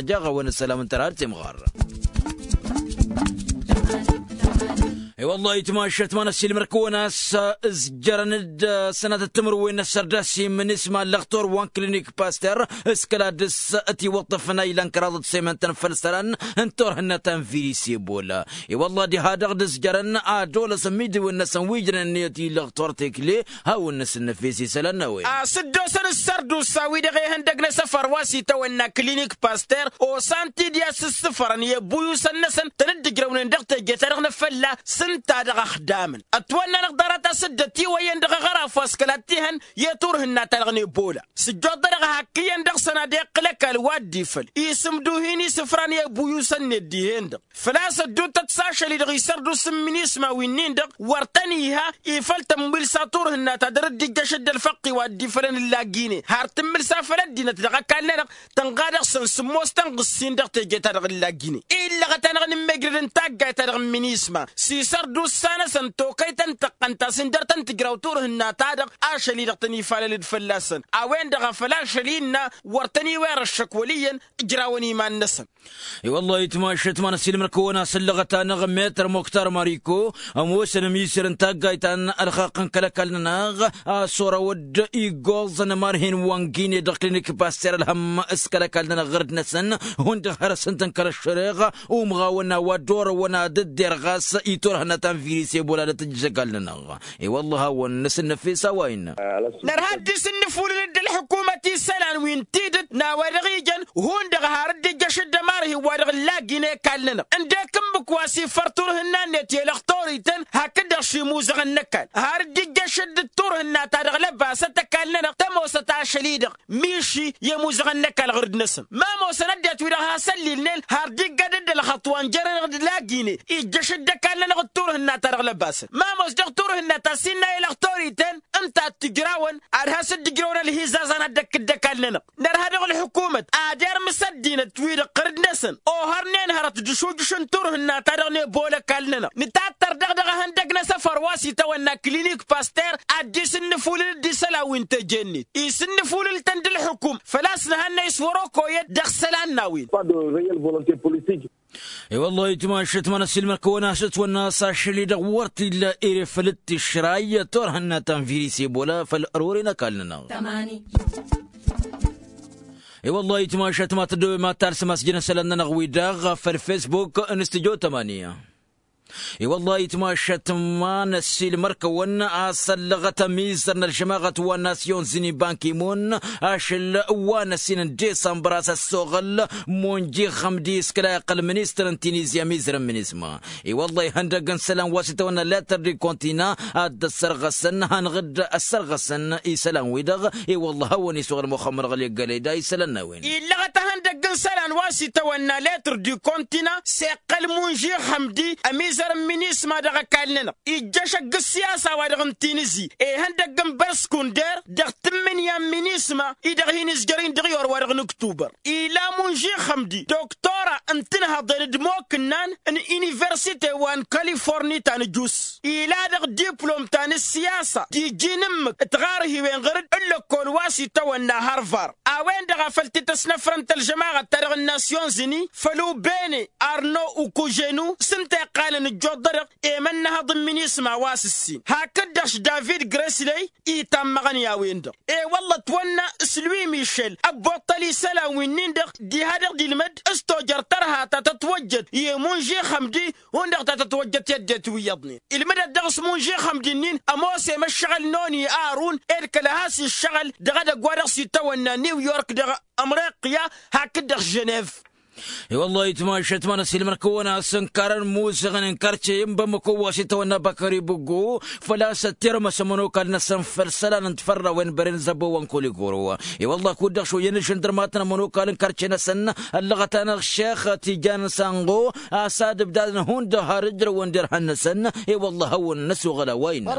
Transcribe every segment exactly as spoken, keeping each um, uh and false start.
ăsmăjjaɣ-awăn ăssălam n-tărha d-timɣar. I-wăllah itmašăt ma n-ăssiilmăr-kăwăn a-s ǝzjărăn-dd sănatăt timǝrwen n-ăssărdas i-minisma ǝllăɣ tor wa n-klinik paster s-kăla dăr-s ătiwăṭṭăfăn a ilan kăraḍăt semăntăn făll-isălan n-turhǝnna ta n-viris ebola. I-wăllah diha-dăɣ d-ǝzjărăn ad-olăsăn imidǝwen-năsăn wi ǝjrănen i-ătiwăṭṭăf tor tekle hawăn-năsǝnnăfes isălan n-a-wen. A-s dd-osăn ǝssărdusa-wi-dăɣ ihăndăg n-asăfăr wa s-itawănna klinik paster osan-t-dd i-ad-sǝssǝfărăn i-ăbbuyusăn-năsăn tăn-dd-ǝjrăwnen dăɣ-teje-ta-dăɣ n-afălla s-ǝnta dăɣ-ăxdamăn ătwănna-năɣ ḍarăt a-s dd-ătiwăyyăn dăɣ-aɣăraf wa s-kăla t-ihăn i-turhǝnna-ta-dăɣ n-ebola. Sǝjjoḍ-dăɣ hak iyyăn dăɣ-săn ad-iqqǝl ăkall wa dd-ifăl isǝmduh-in isǝfran i-ăbbuyusăn-net dihen-dăɣ. Făl-a-s ădduuttăt s-ašăl-i-dăɣ isărdusa n-minisma winnin-dăɣ wăr tăn-iha ifăl tămmǝlsa turhǝnna ta dăr-dd-ijjăš dd-ălfăqq-i wa dd-ifălăn ǝllagine har tǝmmǝlsa făll-ăddinăt dăɣ-ăkall-nănăɣ. Tănɣa dăɣ-săn sǝmmos tănɣǝssin dăɣ-teje-ta-dăɣ ǝllagine illăɣăt-anăɣ n-immejrăd n-taggayt-ta-dăɣ n-minisma s-isărdusa-năsăn tokăyt n-tăqqăn ta s-indăr tăn-tǝjraw turhǝnna-ta-dăɣ. Ašăl-i-dăɣ tăn-ifalăl-dd fălla-săn a-wen-dăɣ a făl ašăl-i ǝnna wăr tăniwăr ăššăk wăl' iyyăn ǝjrawăn iman-năsăn. I-wăllah itmašăt ma n-ăsiilmăr-kăwăn a-s ǝllăɣăt-anăɣ metăr muktar mariko ămoosăn ămisăr n-taggayt ta n-ălxaqq n-kăl-ăkall-nănăɣ a-s orăwăd iggoẓăn ămarhin wa n-gine dăɣ-klinik paster ălhăm s-kăl-ăkall-nănăɣ ɣǝrǝd-năsăn. Hundăɣ hărăsăn-tăn kăl-ăššăreɣ umɣawăn a-wa dd-orăwăn ad-dd-derɣas i-turhǝnna ta n-viris ebola d-tǝjjăš ăkall-nănăɣ. I-wăllah hawăn-năsǝnnăfes a-wa innă. Nărha dd-isǝnnǝfulǝl-dd ălḥǝkumăt isălan wi n-tidǝt n-a-wa dăɣ-ijăn hundăɣ har dd-ijjăš dd-ămarhi wa dăɣ-ǝllagi n-ekall-nănăɣ ǝndek ǝmmǝk wa s-ifăr turhǝnna-net i-ălăxtorităn hakd-dăɣ šimuzăɣăn n-ăkall har dd-ijjăš dd-turhǝnna ta dăɣ-lăbasăt ăkall-nănăɣ tămoosăt ašăl-i-dăɣ. Miši i-ămuzăɣăn n-ăkall ɣur-dd-năsăn ma ămoosăn ăddinăt-wi-dăɣ has-ăllilnen har dd-iggad dd-ălxăṭṭ wa n-jărăn dăɣ-ǝllagi-net ijjăš dd-ăkall-nănăɣ d-turhǝnna ta dăɣ-lăbasăn ma ămoos dăɣ-turhǝnna ta s-innă i-ălăxtorităn ǝnta ad-t-ǝjrawăn ad-has-dd-ǝjrăwăn ălhizaẓan ad-dd-ăkk dd-ăkall-nănăɣ. Nărha dăɣ-ălḥǝkumăt ad-irmǝs ăddinăt-wi-dăɣ ɣur-dd-năsăn ohărnen hărăt d-ašujǝš n-turhǝnna ta dăɣ-nebola ăkall-nănăɣ nǝtattăr daɣ dăɣ-ehăndăg n-asăfăr wa s-itawănna klinik paster ad-dd-isǝnnǝfulǝl-dd isălan wi n-teje-net isǝnnǝfulǝl-tăn d-ălḥǝkum făl-a-s nǝhănnăy s-wăr-okoyăt dăɣ-isălan n-a-wen. I-wăllah itmašăt ma n-ăsiilmăr-kăwăn a-s ǝtwănna a-s ašăl-i-dăɣ wăr t-illa ere făll-dd-tǝšray turhǝnna ta n-viris ebola făll-ărori n-ăkall-nănăɣ. I-wăllah itmašăt ma tăddobem ad-talsăm a-s jăn isălan-nănăɣ-wi-dăɣ făll-fesbuk n-studyo tămani. I-wăllah itmašăt ma n-ăsiilmăr-kăwăn a-s ăllăɣăt ămizăr n-ălžămaɣăt wa n-nasyon zini bankimun ašăl wa n-ăsin n-disămbăr a-s ăssoɣăl munji xămdi s-kăla iqqăl ministăr n-tinizya ămizăr n-minisma. I-wăllah ihăndăg n-isălan wa s-itawănna letăr di kontina ad-dd-ăssărɣăsăn hanăɣ-dd-ăssărɣăsăn isălan-wi-dăɣ. I-wăllah hawăn-isuɣăl muxămmăd ɣăli ăggălăy da isălan n-a-wen. Illăɣăt ihăndăg n-isălan wa s-itawănna letăr di kontina s-iqqăl munži xămdi ămizăr n-minisma dăɣ-ăkall-nănăɣ ijjăšăg ǝssiyasa-wa-dăɣ n-tinǝzi ihăndăg n-băr-skunder dăɣ-tǝmmǝnǝya n-minisma-i-dăɣ hin-izjăr-in dăɣ-iwăr-wa-dăɣ n-ǝktubăr. Ila munži xămdi doktora n-tinhăḍen d-imokǝnnan n-iniversite wa n-kaliforni ta n-ǝjus ila dăɣ-diplom ta n-ǝssiyasa tiji n-ǝmmǝk d-tiɣarhiwen ɣur-dd n-lăkkol wa s-itawănna harvar. A-wen-dăɣ a făl t-tăsnăfrăn tălžămaɣăt ta-dăɣ n-nasyonzini făll-ubene arno ukujenu s-ǝnta iqqalăn ǝjjuḍ-dăɣ emănnăhăḍ n-minisma wa s-ǝssin hakd-dăɣ-š david gresley itammăɣăn i-a-wen-dăɣ. E-wălla ătwănna s-lui mišel ăbbuṭṭăl isălan wi-nin-dăɣ diha-dăɣ d-ilmăd s-tojăr tărha ta tătwăjjăd i-munži xămdi hundăɣ ta tătwăjjăt i-ăddinăt wi iyyăḍnen ilmǝdăt dăɣ-s munži xămdi-nin ămoos i-măššăɣǝl n-oni arun ed kăla has-iššăɣǝl dăɣ-edăgg wa dăɣ-s itawănna new york dăɣ-amriqya hakd-dăɣ ženev. I-wăllah itmašăt ma n-ăsilmăn kăwăn-asăn karăn muzăɣăn n-karce n-bamăko wa s-itawănna bakări buggu făl-a-s ăttirmăs ămănokal-năsăn făll-isălan n-tifărrawen băren zăbo wa n-koligoro. I-wăllah kud-dăɣ šoyăn ǝžžǝn dăr-matăn ămănokal n-karce-năsăn ăllăɣăt-anăɣ šex tijan n-sanɣo a-s ad-ǝbdadăn hundăɣ har ǝjrăwăn derhan-năsăn. I-wăllah hawăn-năsoɣăl a-wa innă.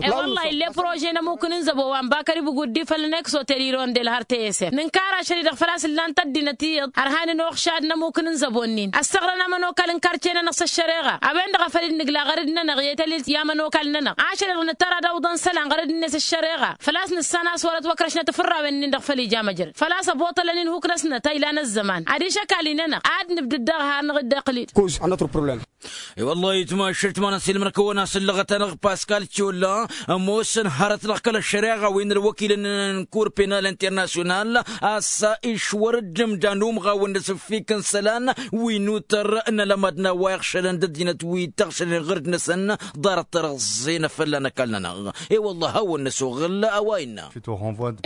I-wăllah ill'-e prože n-ămukǝn n-zăbo wa n-bakări buguddi făll-năksotel irondel har teyesef nǝnkar ašăl-i-dăɣ făl-a-s ǝllan-t ăddinăt iyyăḍ ărhan n-oxšad n-ămukǝn n-zăbo-nin ăssăɣrăn amănokal n-karce-nănăɣ s-ăššăreɣa a-wen-dăɣ a făl dd-nǝgla ɣărăd-nănăɣ i-tălilt i-amănokal-nănăɣ ašăl-i-dăɣ nǝttăr ad-awǝḍăn isălan ɣărăd-net s-ăššăreɣa făl-a-s nǝssan a-s wăr-ătwăkrăšnăt ifărrawen-nin-dăɣ făll-ija măjrăd făl-a-s ăboṭălăn inhuk-năsnăt a ilan ăzzăman adiš ăkall-i-nănăɣ ad-nǝbdǝd dăɣ-har-năɣ dd-iqqǝl-dd. Cause a notre problème. I-wăllah itmašăl t-imanăn s-ilmăn kăwăn-asăn ǝllăɣăt-anăɣ paskal colla ămoosăn hărăt-năɣ kăl-ăššăreɣa wi n-ălwăkilăn n-kur penal internasyonal a-s išwăr dd-ǝmdan umɣawăn d-asǝffik n-isălan wi n-utăr n-alămad n-a-wa iɣšălăn d-ăddinăt wi tăɣšălăn ɣǝrd-năsăn ḍarăt tărăẓẓe n-afălla n-ăkall-nănăɣ. I-wăllah hawăn-năsoɣăl a-wa innă.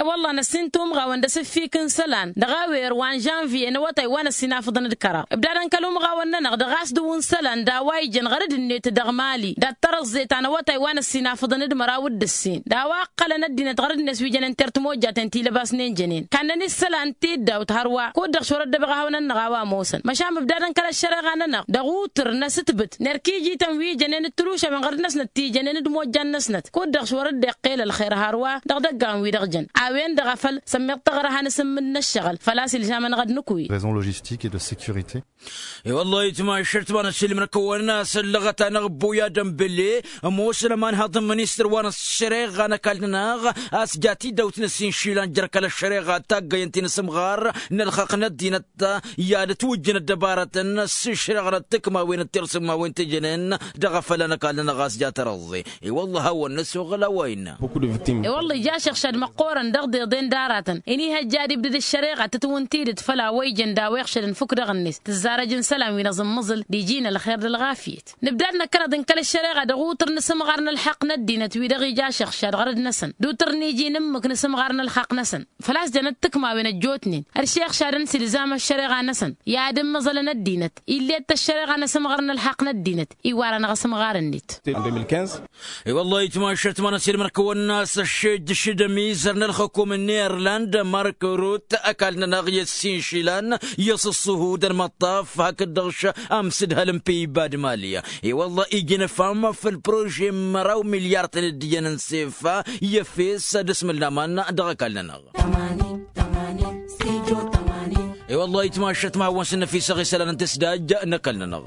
I-wăllah năssin tumɣawăn d-asǝffik n-isălan dăɣ-awer wa n-žănviye n-awătay wa n-ăssinafăḍăn d-kăraḍ ǝbdadăn kăl-umɣawăn-nănăɣ dăɣ-a-s dăɣ-wǝn isălan d-a-wa ijăn ɣărăd-net dăɣ-mali dat-tărăẓẓe ta n-awătay wa n-ăssinafăḍăn d-măraw d-ǝssin d-a-wa ǝqqălăn ăddinăt ɣărăd-net wi jănen tertmojjaten ti lăbasnen jănen kannăn isălan tiddawt hărwa kud-dăɣ šorăt dăbăɣ ahăwnăn-năɣ a-wa ămoosăn măšan ǝbdadăn kăl-ăššăreɣa-nănăɣ dăɣ-utǝr n-asǝtbǝt n-erk ijităn wi jănen d-tǝlušawen ɣărăd-năsnăt ti jănen d-imojjan-năsnăt kud-dăɣ šorăt dd-iqqel ălxer hărwa dăɣ-idăggan-wi-dăɣ jăn a-wen-dăɣ a făl sămmiḍ taɣrăha n-asǝmmǝd n-ăššăɣǝl făl-a-s ilžamăn ɣăd nǝkwi. Raison logistique et de sécurité. I-wăllah itmašăl t-imanăn s-ilmăn kăwăn-asăn ǝllăɣăt-anăɣ ăbbuy adăm belle ămoosăn ămanhăḍ n-ministăr wa n-ăššăreɣa n-ăkall-nănăɣ a-s ja tidawt n-ăssin išilan jer-kăl-ăššăreɣa taggăyăn ti n-asǝmɣar n-ălxaqq n-ăddinăt i-ad-ătwǝjjǝn ăddăbarătăn s-išrăɣnăt tǝkmawen d-tirsǝmmawen tijănen dăɣ-afălla n-ăkall-nănăɣ a-s ja tărăẓẓe. I-wăllah hawăn-năsoɣăl a-wa innă. I-wăllah ija ašăɣšad măqqoorăn dăɣ-deḍen d-aratăn inihăjja ad-ibdǝd ăššăreɣa tǝtwǝn tidǝt făll-a-wa ijăn d-a-wa iɣšădăn fukk dăɣ-net tǝzzarăj n-isălan wi n-aẓǝmmǝẓǝl d-iji n-ălxer d-ălɣafyăt. Nǝbdad năkkăneḍ n-kăl-ăššăreɣa dăɣ-utǝr n-asǝmɣar n-ălxaqq n-ăddinăt wi-dăɣ ija ašăɣšad ɣărăd-năsăn d-utǝr n-iji n-ǝmmǝk n-asǝmɣar n-ălxaqq-năsăn făl-a-s jănăt tǝkmawen ăjjootnen ăršeɣšadăn s-ilzam ăššăreɣa-năsăn i-ad-ǝmmăẓălăn ăddinăt ill'-e d-tăššăreɣa n-asǝmɣar n-ălxaqq n-ăddinăt iwar-anăɣ asǝmɣar-net. I-wăllah itmašăl t-imanăn s-ilmăn kăwăn-asăn ăššejjăš d-ămizăr n-ălxukum n-irland mark rut ăkall-nănăɣ i-ăssin išilan i-asǝṣṣuhu d-ălmăṭṭaf hakd-dăɣ š-amsǝdhăl n-peyba d-mali. I-wăllah ijăn ăfam făll-prože n-măraw milyar tăn-dd-iyyăn n-sefa i-efes d-asmǝllaman dăɣ-ăkall-nănăɣ. I-wăllah itmašăt ma hawăn-sǝnnăfisăɣ isălan n-tǝsdaj n-ăkall-nănăɣ.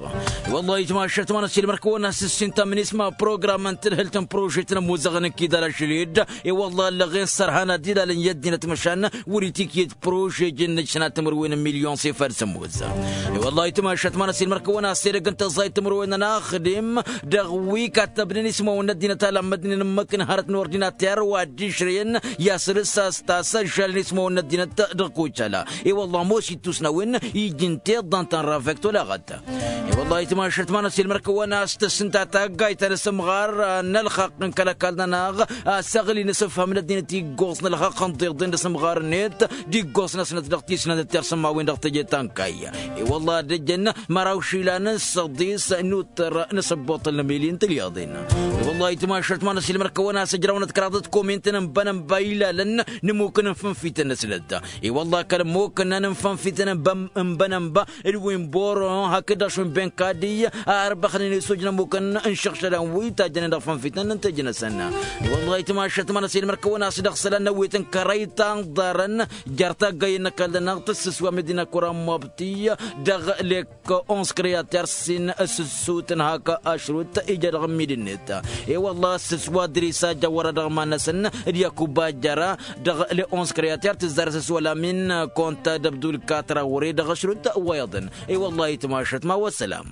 I-wăllah itmašăt ma n-ăsilmăr-kăwăn-asǝssin tamnisma program n-tǝdhǝlt n-prožet n-ămuzăɣăn n-kidal ašăl-dd. I-wăllah ăllăɣen sărhan ad-ilalăn i-ăddinăt măšan wăr-itikǝyăd prože jǝnnǝj sănat timǝrwen n-milyon s-efad s-ămoz. I-wăllah itmašăt ma n-ăsilmăr-kăwăn-asǝssin edăgg n-tăẓẓayt timǝrwen n-inaxdem dăɣ-wi kattăbnen ismawăn n-ăddinăt a lammădnen ǝmmǝk n-hărăt n-ordinater wa dd-išrăyăn i-asăl s-a-s tasăžžalăn ismawăn n-ăddinăt dăɣ-kocala. I-wăllah ămoos ittus n-a-wen iji n-tiḍant ta n-ravek tolaɣăt. I-wăllah itmašăt ma n-ăsilmăr-kăwăn a-s tǝssǝnta taggayt ta n-asǝmɣar n-ălxaqq n-kăl-ăkall-nănăɣ a-s ăɣli n-asǝfham n-ăddinăt iggoẓ n-ălxaqq ǝnḍeḍen d-asǝmɣar-net d-iggoẓ-năsnăt dăɣ-tisnăt d-tirsǝmmawen dăɣ-teje ta n-kayy. I-wăllah ad-ăjjăn măraw išilan n-săḍis n-utăr n-asăbboṭăl n-amili n-tilyaḍen. I-wăllah itmašăt ma n-ăsilmăr-kăwăn a-s ǝjrawnăt kăraḍăt komintăn n-bănănba ilalăn n-imukǝn n-fănfităn-năsnăt. I-wăllah kăl-ămmokănna n-fănfităn n-bănănba d-wi n-boro hakd-dăɣ šund n-kadiy a ărbăxnen i-sujnămukăn n-išăɣšălan wi tajjănen dăɣ-fănfităn n-tejnăsăn. Wăllah itmašăt ma n-ăsilmăr kăwăn-as dăɣ-isălan n-ăwwet n-kărăy tanḍarăn jer-taggăyăn n-ăkall-năɣ tǝssǝswa medina kura n-mobti dăɣ-lek onskăr i-ad-t-irsǝssin s-ǝssut n-hak ašrut ija dăɣ-ămmid-net. I-wălla s-ǝsswa dris a jăwăra dăɣ-iman-năsăn d-yakub ajjăra dăɣ-le onskăr i-ad-t-irsǝssin s-wăla min kont ad-ăbdul katra wăre dăɣ-ašrut wa iḍăn. I-wălla itmašăt ma wa sălam.